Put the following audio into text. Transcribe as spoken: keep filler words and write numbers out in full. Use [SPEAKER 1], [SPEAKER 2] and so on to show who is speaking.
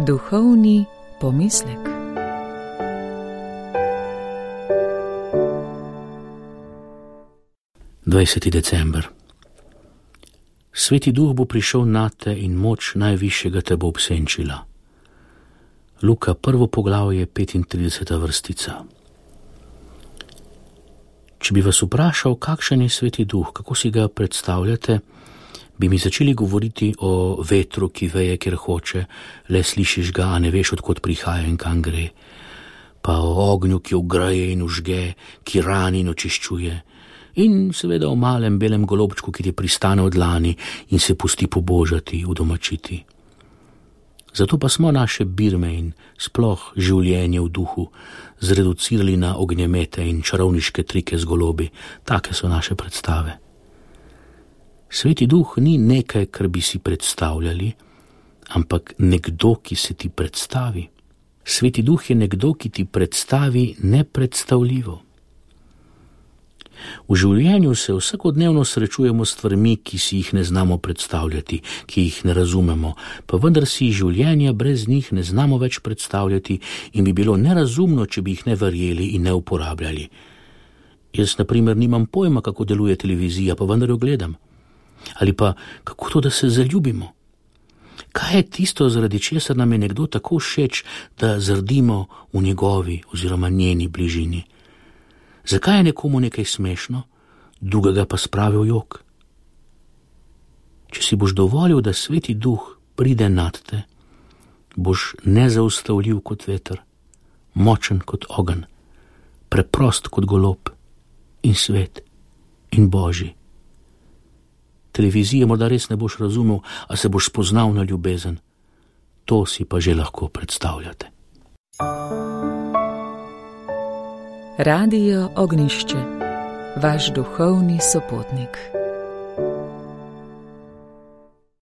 [SPEAKER 1] Duhovni pomislek.
[SPEAKER 2] dvajseti december. Sveti duh bo prišel nate in moč najvišjega te bo obsenčila. Luka prvo poglavje, petintrideseta vrstica. Če bi vas vprašal, kakšen je sveti duh, kako si ga predstavljate, bi mi začeli govoriti o vetru, ki veje, kjer hoče, le slišiš ga, a ne veš, odkot prihaja in kam gre, pa o ognju, ki ogreje in užge, ki rani in očiščuje, in seveda o malem belem golobčku, ki ti pristane od dlani in se pusti pobožati, udomačiti. Zato pa smo naše birme in sploh življenje v duhu zreducirali na ognjemete in čarovniške trike z golobi. Take so naše predstave. Sveti duh ni nekaj, kar bi si predstavljali, ampak nekdo, ki se ti predstavi. Sveti duh je nekdo, ki ti predstavi nepredstavljivo. V življenju se vsakodnevno srečujemo s stvarmi, ki si jih ne znamo predstavljati, ki jih ne razumemo, pa vendar si življenja brez njih ne znamo več predstavljati in bi bilo nerazumno, če bi jih ne verjeli in ne uporabljali. Jaz, na primer, nimam pojma, kako deluje televizija, pa vendar jo gledam. Ali pa, kako to, da se zaljubimo? Kaj je tisto, zaradi česar nam je nekdo tako všeč, da zrdimo v njegovi oziroma njeni bližini? Zakaj je nekomu nekaj smešno, drugega pa spravi v jok? Če si boš dovolil, da sveti duh pride nad te, boš nezaustavljiv kot veter, močen kot ogenj, preprost kot golob in svet in božji. Televizije morda res ne boš razumel, a se boš spoznal na ljubezen. To si pa že lahko predstavljate.
[SPEAKER 1] Radio Ognišče, vaš duhovni sopotnik.